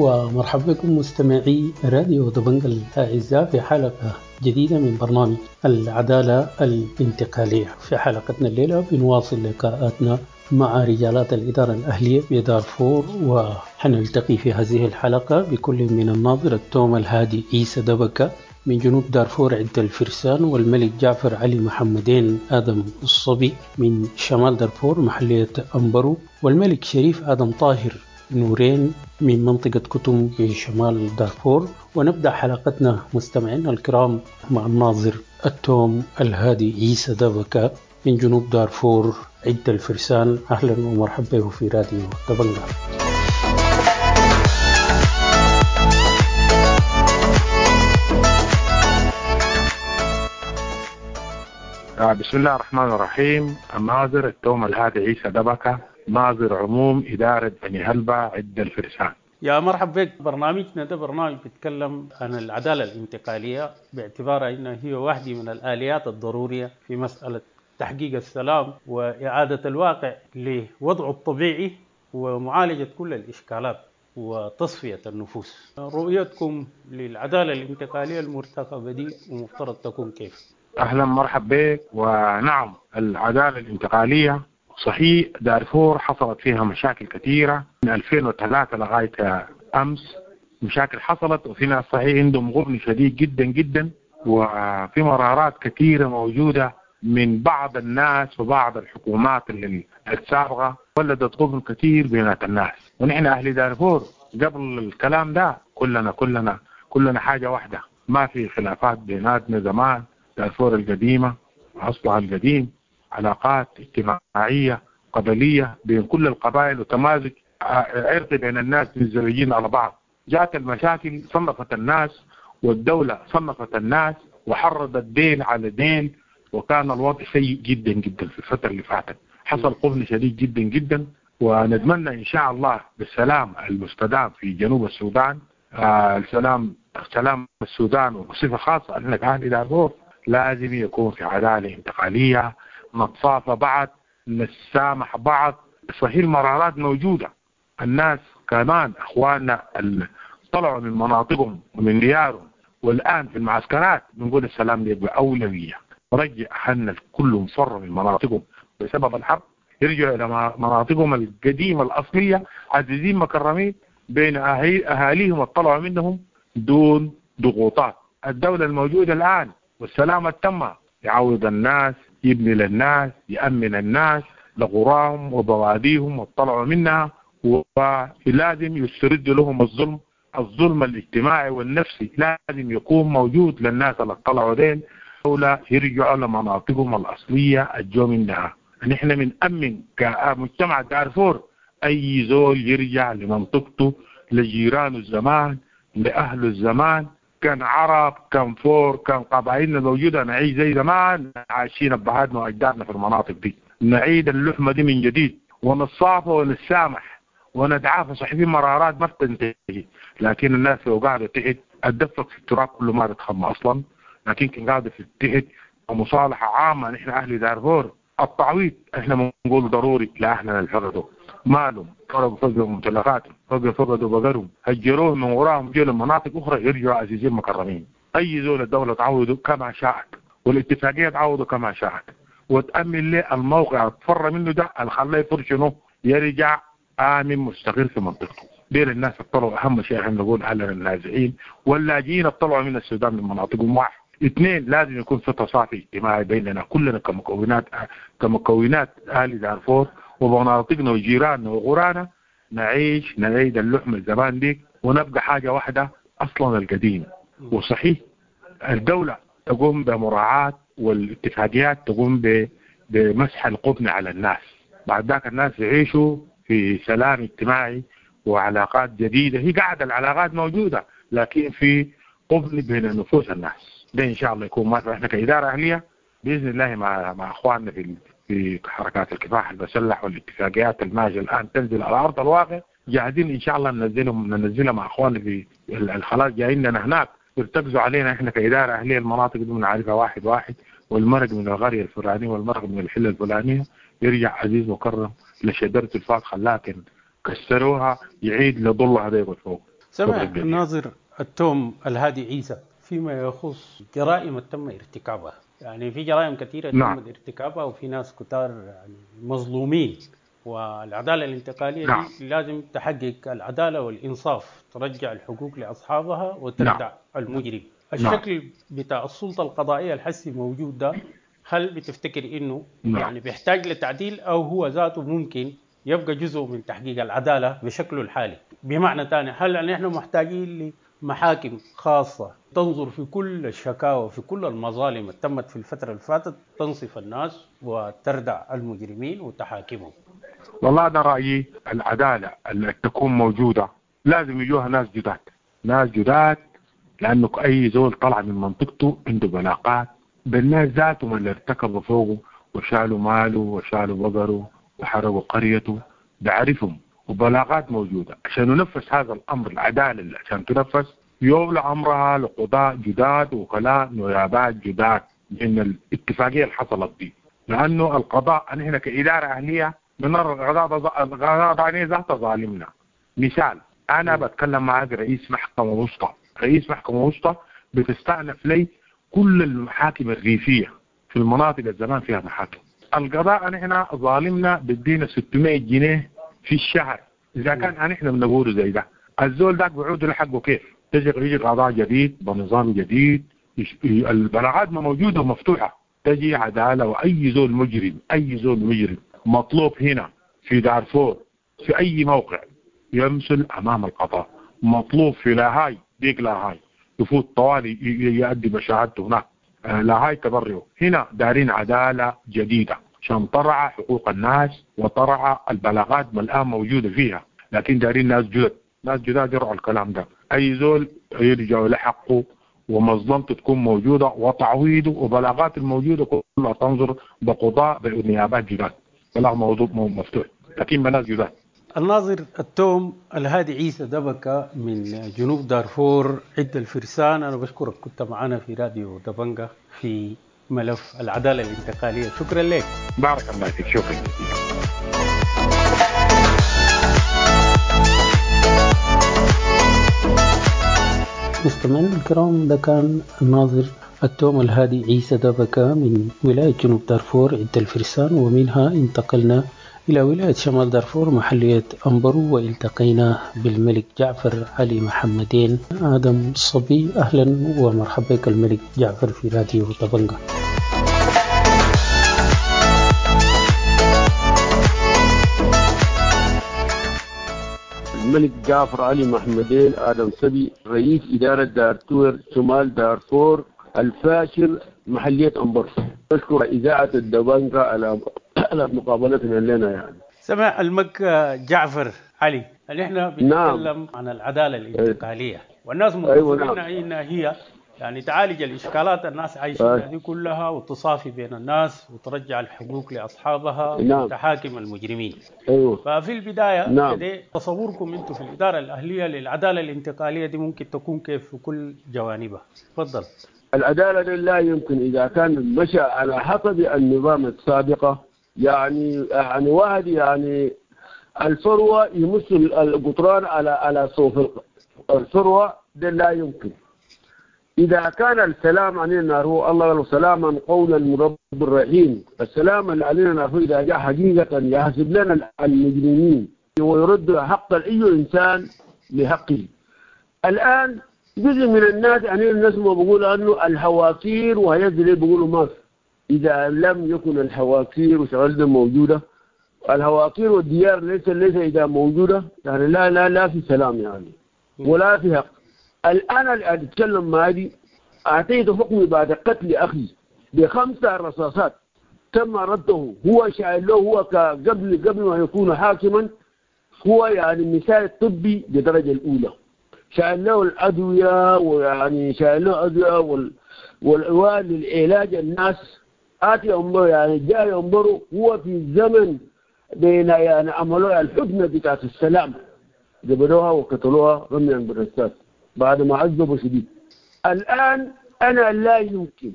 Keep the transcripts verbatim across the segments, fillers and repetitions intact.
ومرحبا بكم مستمعي راديو دبنجا الأعزاء في حلقة جديدة من برنامج العدالة الانتقالية. في حلقتنا الليلة بنواصل لقاءاتنا مع رجالات الإدارة الأهلية بدارفور، وحنلتقي في هذه الحلقة بكل من الناظر التوم الهادي عيسى دبكة من جنوب دارفور عدة الفرسان، والملك جعفر علي محمدين آدم الصبي من شمال دارفور محلية أمبرو، والملك شريف آدم طاهر نورين من منطقة كتم بشمال دارفور. ونبدأ حلقتنا مستمعينا الكرام مع الناظر التوم الهادي عيسى دبكة من جنوب دارفور عدة الفرسان. أهلا ومرحبا به في راديو دبنجا. بسم الله الرحمن الرحيم. الناظر التوم الهادي عيسى دبكة، ناظر عموم إدارة بني هلبة عدة الفرسان. يا مرحبا بك. برنامجنا ده برنامج بيتكلم عن العدالة الانتقالية باعتبارها أنها هي واحدة من الآليات الضرورية في مسألة تحقيق السلام وإعادة الواقع لوضعه الطبيعي ومعالجة كل الإشكالات وتصفية النفوس. رؤيتكم للعدالة الانتقالية المرتقبة دي ومفترض تكون كيف؟ أهلا مرحبا بك. ونعم، العدالة الانتقالية صحيح دارفور حصلت فيها مشاكل كثيرة من ألفين وثلاثة لغاية أمس، مشاكل حصلت وفي ناس صحيح عندهم غبن شديد جدا جدا، وفي مرارات كثيرة موجودة من بعض الناس وبعض الحكومات اللي السابقة ولدت غبن كثير بينات الناس. ونحن أهل دارفور قبل الكلام ده كلنا كلنا كلنا حاجة واحدة، ما في خلافات بيناتنا. زمان دارفور القديمة أصلها القديم علاقات اجتماعية قبلية بين كل القبائل وتمازج عرقي بين الناس متزوجين على بعض. جاءت المشاكل صنفت الناس، والدولة صنفت الناس وحرضت دين على دين، وكان الوضع سيء جدا جدا في الفترة اللي فاتت. حصل قبل شديد جدا جدا، ونتمنى إن شاء الله بالسلام المستدام في جنوب السودان، آه السلام سلام السودان وبصفة خاصة أننا كأهل دارفور لازم يكون في عدالة انتقالية، نتصافى بعض، نسامح بعض. صحيح المرارات موجودة، الناس كمان أخواننا اللي طلعوا من مناطقهم ومن ديارهم والآن في المعسكرات بنقول السلام يبقى أولوية. رجع أهلنا كلهم فروا من مناطقهم بسبب الحرب، يرجعوا إلى مناطقهم القديمة الأصلية عزيزين مكرمين بين أهاليهم الطلعوا منهم دون ضغوطات. الدولة الموجودة الآن والسلام التامة يعوض الناس، يبني للناس، يأمن الناس لقراهم وبواديهم وطلعوا منها، ولازم يسترد لهم الظلم، الظلم الاجتماعي والنفسي لازم يكون موجود للناس اللي طلعوا دين، ولا يرجعوا لمناطقهم الأصلية الجو منها. نحن بنأمن كمجتمع دارفور أي زول يرجع لمنطقته، لجيرانه الزمان، لأهله الزمان، كان عرب كان فور كان قبائلنا موجودة، نعيش زي زمان عايشين أبهاتنا وأجدادنا في المناطق دي، نعيد اللحمة دي من جديد ونتصافى ونتسامح ونتعافى. صحيح في مرارات ما بتنتهي، لكن الناس لو قاعدة تحت الدفق في التراب كله ما تتخمى أصلا، لكن كان قاعدة في تحت ومصالحة عامة. نحن أهل دارفور التعويض احنا بنقول ضروري لأهلنا اللي فقدوا مالهم، فقدوا فقدوا ممتلكاتهم، فقدوا فقدوا بقرهم، هجروهم من وراهم جو لمناطق أخرى، يرجعوا عزيزين مكرمين. أي زول الدولة تعوضه كما شاءت، والاتفاقية تعوضه كما شاءت، وتأمن له الموقع تفر منه ده اللي خلاه يفر شنو، يرجع آمن مستقر في منطقته. دير الناس اطلعوا، أهم شيء احنا نقول أهلنا النازحين واللاجئين اطلعوا من السودان من مناطقهم. واحد اثنين، لازم يكون في تصافي اجتماعي بيننا كلنا كمكونات كمكونات اهل دارفور ومناطقنا وجيراننا وغرانا، نعيش نعيد اللحمة الزمان دي ونبقى حاجة واحدة اصلا القديم. وصحيح الدولة تقوم بمراعاه والاتفاقيات تقوم بمسح القطن على الناس، بعد ذاك الناس يعيشوا في سلام اجتماعي وعلاقات جديدة. هي قاعدة العلاقات موجودة، لكن في قبل بين نفوس الناس. ده ان شاء الله يكون ما احنا كادارة اهليه باذن الله مع مع اخواننا في في حركات الكفاح المسلح والاتفاقيات الماجيه الان تنزل على ارض الواقع، جاهزين ان شاء الله ننزلهم ننزلها مع اخواننا في الخلاص جايين لنا هناك يرتكزوا علينا احنا كادارة اهليه. المناطق دي بنعرفها واحد واحد، والمرق من القرية الفلانية والمرق من الحلة الفلانية يرجع عزيز مكرم لشجرة الفاتحة، لكن كسروها يعيد لظلها ده فوق. سمع الناظر التوم الهادي عيسى فيما يخص جرائم تم ارتكابها، يعني في جرائم كثيرة نعم. تم ارتكابها وفي ناس كتار يعني مظلومين، والعدالة الانتقالية نعم. دي لازم تحقق العدالة والإنصاف، ترجع الحقوق لأصحابها وتردع نعم. المجرم. الشكل نعم. بتاع السلطة القضائية الحسي موجود ده، هل بتفتكر إنه نعم. يعني بيحتاج لتعديل أو هو ذاته ممكن يبقى جزء من تحقيق العدالة بشكله الحالي؟ بمعنى تاني، هل نحن محتاجين لمحاكم خاصة تنظر في كل الشكاوى في كل المظالم اللي تمت في الفترة اللي فاتت، تنصف الناس وتردع المجرمين وتحاكمهم؟ والله ده رأيي، العدالة اللي تكون موجودة لازم يجوها ناس جداد، ناس جداد، لأنه أي زول طلع من منطقته عنده بلاقات بالناس ذاتهم اللي ارتكبوا فوقه وشالوا ماله وشالوا بقره وحرقوا قريته، بعرفهم وبلاغات موجودة. عشان ننفذ هذا الأمر، العدالة عشان تنفذ يولى أمرها لقضاء جداد وكلاء نيابات جداد من الاتفاقية اللي حصلت دي، لأنه القضاء نحن كإدارة أهلية بنرى القضاء القضاء ذاته ظالمنا. مثال، أنا بتكلم معك رئيس محكمة وسطى، رئيس محكمة وسطى بتستأنف لي كل المحاكم الريفية في المناطق الزمان فيها محاكم. القضاء نحن ظالمنا بدينا ستمائة جنيه في الشهر، إذا كان نحن بنقوله زي ده الزول ذاك بعود لحقه كيف؟ تجي يجي قضاء جديد بنظام جديد، البلاغات ما موجودة ومفتوحة، تجي عدالة، وأي زول مجرم، أي زول مجرم مطلوب هنا في دارفور في أي موقع يمثل أمام القضاء، مطلوب في لاهاي ديك لاهاي يفوت طوالي يؤدي بشهادته هناك، لاهاي تبرئه. هنا دارين عدالة جديدة عشان ترعى حقوق الناس وترعى البلاغات ما الآن موجودة فيها، لكن دارين ناس جدد، ناس جداد يرعوا الكلام ده، أي زول يرجع لحقه ومظلمته تكون موجودة وتعويضه وبلاغات الموجودة كلها تنظر بقضاء بنيابات جداد، بلاغ موضوع مفتوح لكن بناس جداد. الناظر التوم الهادي عيسى دبكة من جنوب دارفور عد الفرسان، أنا بشكرك كنت معنا في راديو دبنجة في ملف العدالة الانتقالية، شكرا لك. بارك الله فيك، شكرا. مستمعينا الكرام، ده كان الناظر التوم الهادي عيسى دبكة من ولاية جنوب دارفور عد الفرسان، ومنها انتقلنا إلى ولاية شمال دارفور محلية أمبرو، والتقينا بالملك جعفر علي محمدين آدم صبي. أهلا ومرحبا بك الملك جعفر في راديو طبنجة. الملك جعفر علي محمدين آدم صبي، رئيس إدارة دارتور شمال دارفور الفاشر محلية أمبرو. أشكر إذاعة الدبنجة على على مقابلتنا لنا. يعني سمع المك جعفر علي، نحن بنتكلم نعم. عن العدالة الانتقالية، والناس منتظرين أيوة نعم. إنها هي يعني تعالج الإشكالات الناس عايشين دي كلها وتصافي بين الناس وترجع الحقوق لأصحابها نعم. وتحاكم المجرمين. أيوة. ففي البداية نعم. تصوركم أنتم في الإدارة الأهلية للعدالة الانتقالية دي ممكن تكون كيف في كل جوانبها؟ تفضل. العدالة لا يمكن إذا كان مشى على حسب النظام السابقة، يعني يعني واحد يعني الفروة يمس القطران على على صوف الفروة، ده لا يمكن. إذا كان السلام علينا نعرفه الله قال سلاما قولا من رب الرحيم، السلام اللي علينا نعرفه إذا جاء حقيقة يحسب لنا المجرمين ويرد حق أي إنسان لحقه. الآن جزء من الناس يعني الناس ما بيقولوا أنه الحواكير وهيزل بيقولوا ما في. إذا لم يكن الحواكير وشغلنا موجودة، الحواكير والديار ليس ليس إذا موجودة يعني لا لا لا في سلام يعني ولا في حق. الآن اللي أتكلم معي أعطيت حكمي بعد قتل أخي بخمسة رصاصات تم رده، هو شايل له هو قبل قبل ما يكون حاكما، هو يعني مثال طبي بدرجة الأولى، شايل له الأدوية ويعني شايل له أدوية وال والعوال للعلاج الناس آتي أمره يعني جاي أمره هو في زمن بين يعني عملوا الحدنة بتاعت السلام جبلوها وقتلوها رميا بالرصاص بعد ما عذبوا شديد. الآن أنا لا يمكن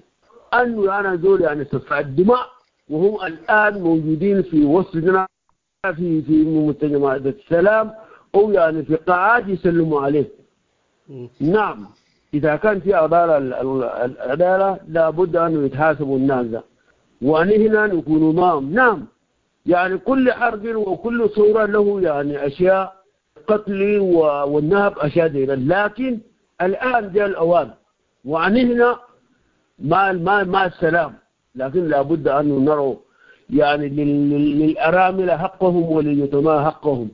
أن أنا دول يعني سفاح الدماء وهم الآن موجودين في وسطنا في في مجتمعات السلام أو يعني في قاعات يسلموا عليه. نعم إذا كان في عدالة، العدالة لابد أن يتحاسبوا الناس ده، ونحن نكون معهم. نعم يعني كل حرب وكل صورة له يعني أشياء قتل والنهب أشياء دي، لكن الآن جاء الأوان ونحن مع مع مع السلام، لكن لابد أن نروا يعني للأرامل حقهم ولليتامى حقهم،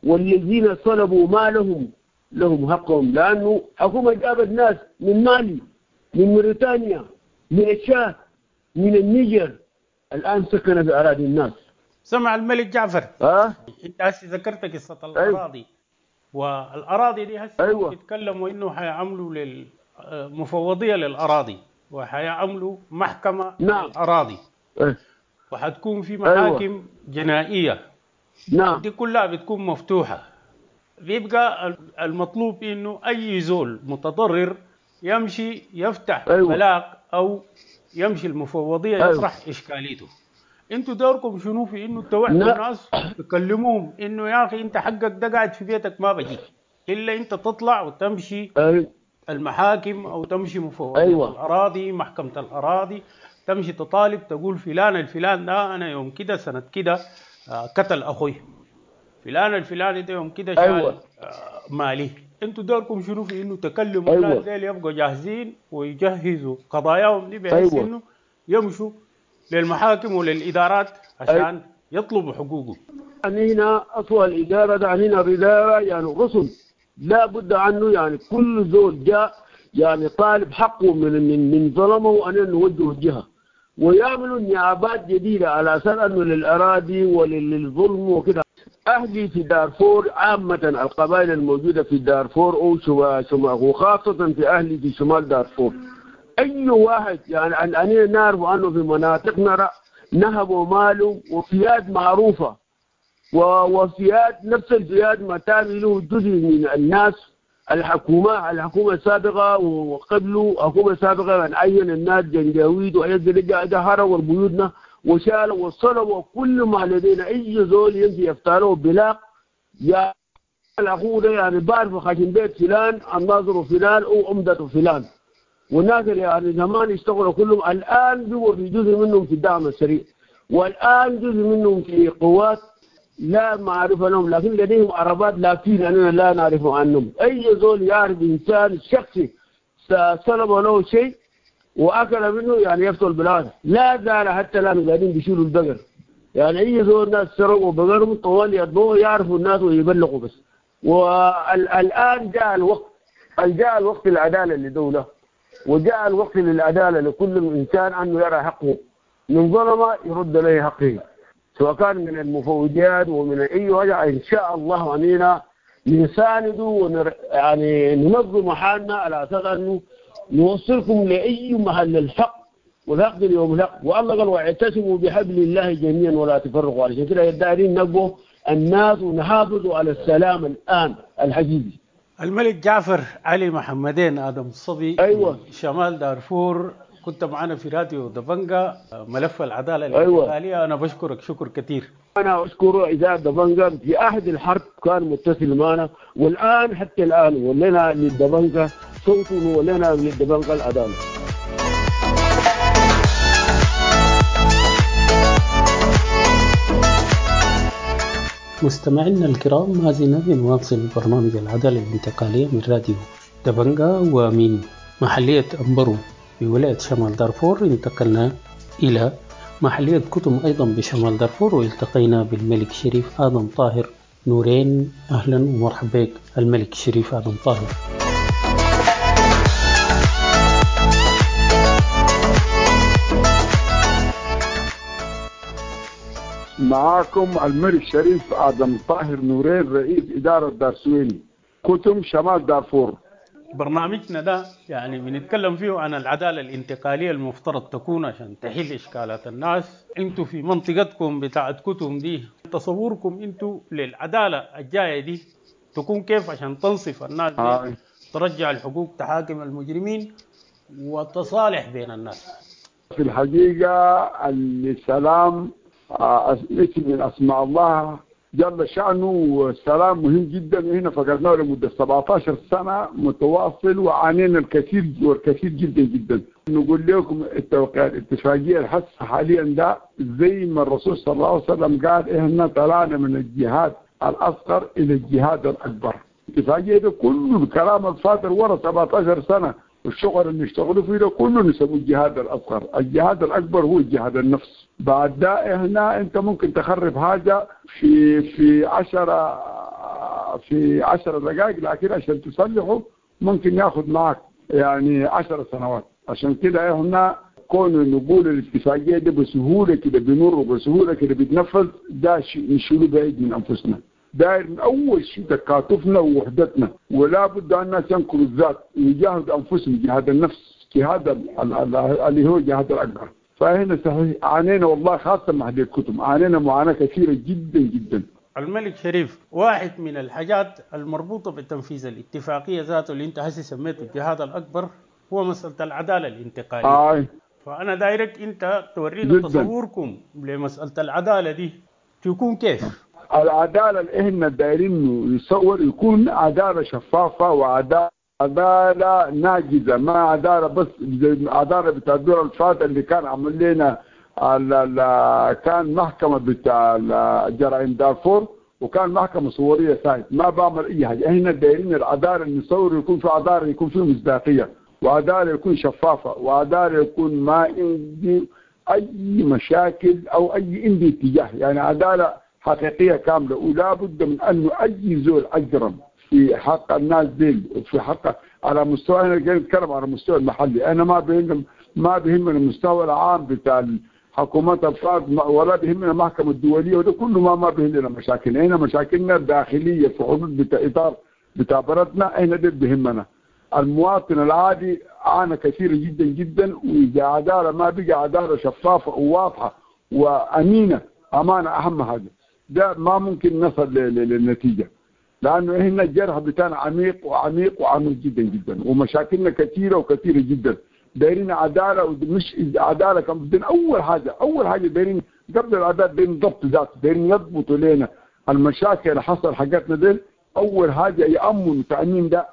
والذين صلبوا مالهم لهم حقهم، لأنه حكومة جابت ناس من مالي، من موريتانيا، من الشاد، من النيجر، الآن سكن في أراضي الناس. سمع الملك جعفر أه؟ أنت هسه ذكرت قصة الأراضي. أيوة. والأراضي دي هسه أيوة. بيتكلموا إنه حيعملوا للمفوضية للأراضي، وحيعملوا محكمة نعم. للأراضي. أه. وحتكون في محاكم أيوة. جنائية. نعم. دي كلها بتكون مفتوحة. بيبقى المطلوب إنه أي زول متضرر يمشي يفتح أيوة. بلاغ أو يمشي المفوضية أيوة. يطرح إشكاليته. انتوا دوركم شنو في انه توعدوا لا. الناس تكلموهم انه يا اخي انت حقك ده قاعد في بيتك ما بجيك الا انت تطلع وتمشي أيوة. المحاكم او تمشي مفوضية أيوة. الاراضي، محكمة الاراضي، تمشي تطالب تقول فلان الفلان ده انا يوم كده سنة كده قتل اخوي، فلان الفلاني ده يوم كده شال أيوة. مالي. انتوا دوركم شنو في انه تكلموا أيوة. الناس ديل يبقوا جاهزين ويجهزوا قضاياهم دي بحيث أيوة. انه يمشوا للمحاكم وللإدارات عشان أيوة. يطلبوا حقوقهم. يعني هنا أصل الإدارة ده هنا الإدارة يعني رسل لا بد عنه، يعني كل زول جاء يعني طالب حقه من من من ظلمه أن نوجه الجهة، ويعملوا نيابات جديدة على أساس أنه للأراضي وللظلم وكده. أهلي في دارفور عامة القبائل الموجودة في دارفور أو شمال، وخاصة في أهلي في شمال دارفور، أي واحد يعني أنا نعرف أنه في مناطقنا نهبوا ماله وفيات معروفة، وفيات نفس الفيات ما تابع له جزء من الناس، الحكومة الحكومة السابقة وقبله حكومة سابقة من عين الناس جنجاويد وعيد هربوا بيوتنا وشالوا وصلوا وكل ما لدينا. أي زول يمشي يفتحله بلاغ يا الأخوة ده يعني بعرف خاشم بيت فلان، الناظر فلان أو عمدة فلان، والناس اللي يعني زمان اشتغلوا كلهم الآن بيبقوا في جزء منهم في الدعم السريع، والآن جزء منهم في قوات لا معرفة لهم، لكن لديهم عربات لافين أننا لا نعرف عنهم. أي زول يعرف إنسان شخصي سلب له شيء وأكل منه يعني يفتح البلاد، لا زال حتى الآن قاعدين بيشيلوا البقر، يعني أي زول ناس سرقوا بقرهم طوال يطبقوا يعرفوا الناس ويبلغوا بس. والآن جاء الوقت، جاء الوقت العدالة لدولة، وجاء الوقت للعدالة لكل إنسان أنه يرى حقه، من ظلم يرد له حقه، سواء كان من المفوضيات ومن أي وجه. إن شاء الله أننا نساند ونر... يعني ننظم حالنا على أساس أنه نوصلكم لأي محل الحق، والحق اليوم الحق. والله قال واعتصموا بحبل الله جميعا ولا تفرقوا. علشان كده الدارين نبوا الناس ونحافظوا على السلام الآن الحقيقي. الملك جعفر علي محمدين آدم الصبي، أيوة. شمال دارفور، كنت معنا في راديو دبنجا ملف العدالة الانتقالية. أيوة. أنا بشكرك شكر كثير. أنا أشكر إذاعة دبنجا في عهد الحرب كان متصل معنا، والآن حتى الآن ولنا للدبنجا صوت ولنا للدبنجا العدالة. مستمعينا الكرام، ما زلنا بنواصل برنامج العدالة الانتقالية من راديو دبنجا ومن محلية أمبرو بولاية شمال دارفور. انتقلنا إلى محلية كتم أيضا بشمال دارفور والتقينا بالملك شريف آدم طاهر نورين. أهلا ومرحبا بك الملك شريف آدم طاهر. معاكم الملك شريف آدم طاهر نورين، رئيس إدارة دارسويني كتم شمال دارفور. برنامجنا ده يعني بنتكلم فيه عن العدالة الانتقالية المفترض تكون عشان تحل إشكالات الناس. انتوا في منطقتكم بتاعت كتم دي، تصوركم انتوا للعدالة الجاية دي تكون كيف عشان تنصف الناس دي، آه. ترجع الحقوق، تحاكم المجرمين، وتصالح بين الناس؟ في الحقيقة السلام اسم من أسماء الله جل شأنه، والسلام مهم جدا، وهنا فقدناه لمدة سبعتاشر سنة متواصل وعانينا الكثير والكثير جدا جدا. نقول لكم التوقيع الاتفاقية الحس حاليا ده زي ما الرسول صلى الله عليه وسلم قال احنا طلعنا من الجهاد الأصغر إلى الجهاد الأكبر. الاتفاقية ده كله الكلام الفاتر ورا سبعتاشر سنة والشغل اللي اشتغلوا فيه ده كله نسموه الجهاد الأصغر. الجهاد الأكبر هو الجهاد النفس. بعد ده هنا أنت ممكن تخرب حاجة في في عشرة في عشرة دقائق، لكن عشان تصلحه ممكن ياخذ معك يعني عشر سنوات. عشان كده هنا كون نقول الاتفاقية دي بسهولة كده بنور وبسهولة كده بيتنفذ، ده شيء نشيله بعيد من أنفسنا. داير من أول شيء تكاتفنا ووحدتنا، ولا بد أن الناس ينكروا الذات ويجاهدوا أنفسهم جهاد النفس، جهاد اللي هو جهاد الأكبر. فهنا صحيح عانينا والله، خاصة مع هذه الكتب عانينا معاناة كثيرة جدا جدا. الملك شريف، واحد من الحاجات المربوطة بتنفيذ الاتفاقية ذاته اللي أنت هسي سميته الجهاد الأكبر هو مسألة العدالة الانتقالية. آه. فأنا دايرك أنت تورينا تصوركم لمسألة العدالة دي تكون كيف؟ العدالة اللي احنا دايرين يصور يكون عدالة شفافة وعدالة عدالة ناجزة، ما عدالة بس زي عدالة بتاع الدور الفات اللي كان عمل لنا كان محكمة بتاع جرائم دارفور وكان محكمة صورية سايد ما بعمل أي حاجة. احنا دايرين العدالة اللي نصور يكون في عدالة، يكون في مصداقية، وعدالة يكون شفافة، وعدالة يكون ما عندي أي مشاكل أو أي عندي اتجاه، يعني عدالة حقيقية كاملة. ولا بد من أنه أي زول أجرم في حق الناس دي وفي حق على مستوى، أنا جاي نتكلم على المستوى المحلي، أنا ما بهم ما بهمنا المستوى العام بتاع حكومات الفرد ولا بهمنا المحكمة الدولية وده كله ما ما بهمنا مشاكل. هنا مشاكلنا الداخلية في حدود بتاع إطار بتاع بلدنا، هنا ده بهمنا. المواطن العادي عانى كثير جدا جدا، وإذا عدالة ما بقى عدالة شفافة وواضحة وأمينة، أمانة أهم حاجة، ده ما ممكن نصل للنتيجة، لأنه هنا الجرح بتاعنا عميق وعميق وعميق جدا جدا، ومشاكلنا كثيرة وكثيرة جدا. دايرين عدالة، ومش عدالة كان بدنا أول حاجة، أول حاجة دايرين قبل العدالة دايرين ضبط ذاته، دايرين يضبطوا لنا المشاكل اللي حصل حاجاتنا دي. أول حاجة يأمنوا تأمين ده،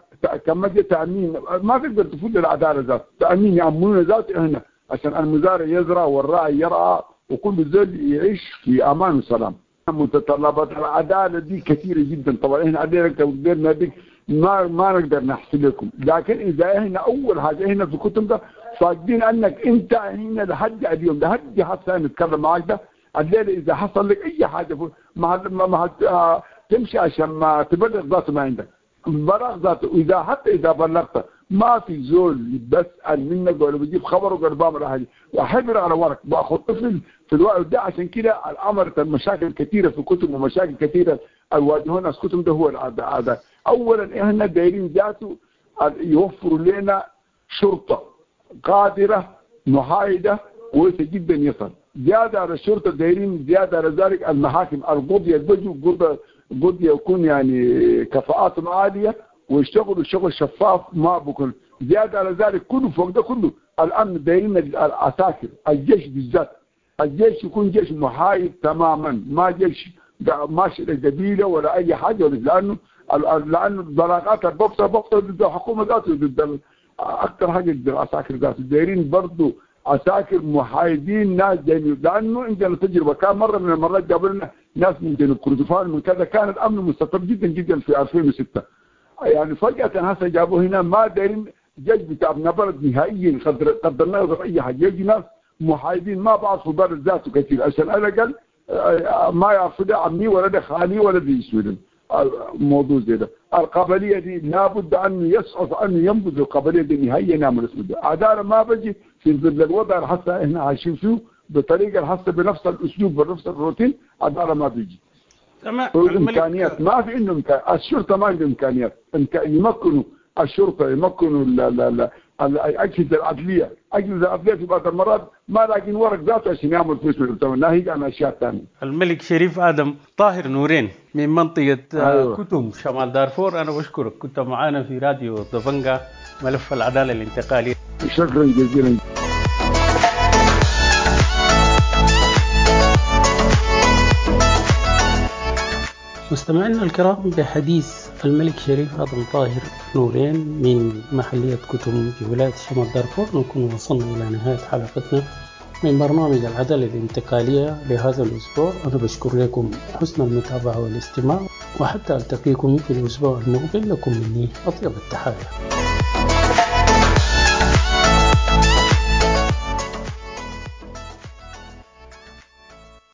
كما جاء تأمين ما تقدر تفوت العدالة ذاته، تأمين يأمنون ذاته هنا عشان المزارع يزرع والراعي يرعى وكل زول يعيش في أمان وسلام. متطلبات العدالة دي كثيرة جدا طبعا، احنا عندنا قدرنا دي ما ما نقدر نحصل لكم، لكن اذا احنا اول حاجة احنا في الكتب ده فاقدين انك انت هنا لحد اليوم لحد حتى نتكلم معاك ده الليلة، اذا حصل لك اي حاجة ما ما, ما تمشي عشان ما تبلغ ذاته، ما عندك بلاغ ذاته، واذا حتى اذا بلغت ما في زول بسأل منك ولا بجيب خبره ولا بعمل حاجة، وحبر على ورق باخذ طفل في الوقت ده. عشان كده الامر المشاكل كثيرة في الكتب ومشاكل كثيرة الواجهون ناس كتب ده هو العادة. اولا احنا دايرين ذاته يوفروا لنا شرطه قادرة محايدة كويسة جدا يصل زيادة على الشرطة، دايرين زيادة على ذلك المحاكم القضية البجو قضية يكون يعني كفاءاتهم عالية ويشتغلوا شغل شفاف ما بكون زيادة على ذلك كله فوق ده كله الأمن دايرين العساكر الجيش بالذات، الجيش يكون جيش محايد تماما، ما جيش ماشي لقبيلة ولا أي حاجة، لأنه لأنه البلاغات الببطة ببطة ضد الحكومة ذاته، ضد أكثر حاجة ضد العساكر ذاته. دايرين برضه عساكر محايدين ناس جايين، لأنه عندنا تجربة كان مرة من المرات جابوا لنا ناس من جنوب كردفان من كذا، كان الأمن مستقر جدا جدا في ألفين وستة، يعني فجأة هسه جابوه هنا ما دايرين جيش بتاع ابن بلد نهائيا، قدر قدرنا يضرب أي حاجة، يجي ناس محايدين ما بعرفوا بلد ذاته كثير، عشان على الأقل ما يعرفوا ده عمي ولا ده خالي ولا ده يسوي موضوع زي ده. القبلية دي لابد أن يسقط أن ينبذ القبلية دي نهائيا، نعمل اسمه ده عدالة ما بجي في ظل الوضع اللي حتى احنا عايشين فيه بطريقة حتى بنفس الأسلوب بنفس الروتين، عدالة ما بيجي. تمام. إمكانيات ما في عندهم إمكانيات، الشرطة ما عندهم إمكانيات، يمكنوا الشرطة يمكنوا الأجهزة العدلية، أجهزة العدلية في بعض المرات ما لاقين ورق ذاته عشان يعمل فلوس من ناهيك عن أشياء ثانية. الملك شريف آدم طاهر نورين من منطقة أيوة. كتم شمال دارفور، أنا بشكرك كنت معانا في راديو دبنجا ملف العدالة الانتقالية. شكرا جزيلا. مستمعينا الكرام، بحديث الملك شريف آدم طاهر نورين من محلية كتم بولاية شمال دارفور نكون وصلنا إلى نهاية حلقتنا من برنامج العدالة الانتقالية لهذا الأسبوع. أنا بشكر لكم حسن المتابعة والاستماع، وحتى ألتقيكم في الأسبوع المقبل لكم مني أطيب التحايا.